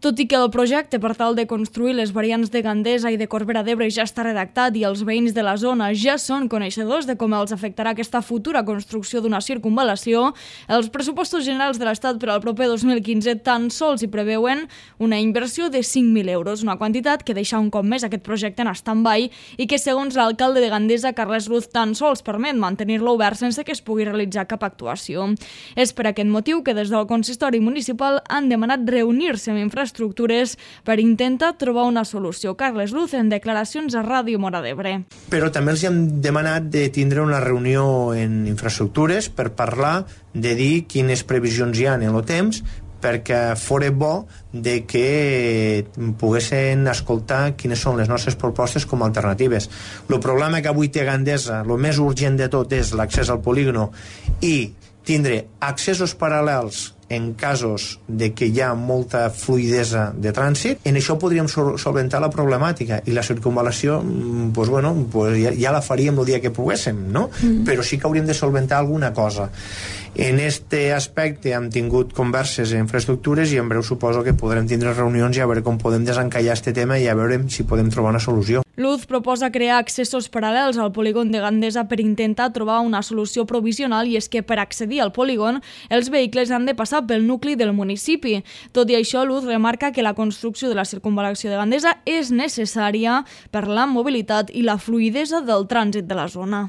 Tot i que el projecte per tal de construir les variants de Gandesa i de Corbera d'Ebre ja està redactat i els veïns de la zona ja són coneixedors de com els afectarà aquesta futura construcció d'una circunvalació, els pressupostos generals de l'Estat per al proper 2015 tan sols hi preveuen una inversió de 5.000 euros, una quantitat que deixa un cop més aquest projecte en stand-by i que, segons l'alcalde de Gandesa, Carles Luz, tan sols permet mantenir-lo obert sense que es pugui realitzar cap actuació. És per aquest motiu que des del consistori municipal han demanat reunir-se amb infraestructures per intentar trobar una solució. Carles Luz, en declaracions a Ràdio Móra d'Ebre. Però també els hem demanat de tindre una reunió en infraestructures per parlar de dir quines previsions hi ha en el temps, perquè fora bo de que poguessin escoltar quines són les nostres propostes com a alternatives. El problema que avui té Gandesa, el més urgent de tot és l'accés al polígono i tindre accessos paral·lels en casos de que hi ha molta fluidesa de trànsit. En això podríem solventar la problemàtica i la circunvalació ja la faríem el dia que poguéssim, no? Però sí que hauríem de solventar alguna cosa. En este aspecte hem tingut converses en infraestructures i en breu suposo que podrem tindre reunions i a veure com podem desencallar este tema i a veure si podem trobar una solució. Luz proposa crear accessos paral·lels al polígon de Gandesa per intentar trobar una solució provisional, i és que per accedir al polígon els vehicles han de passar pel nucli del municipi. Tot i això, Luz remarca que la construcció de la circunvalació de Gandesa és necessària per la mobilitat i la fluidesa del trànsit de la zona.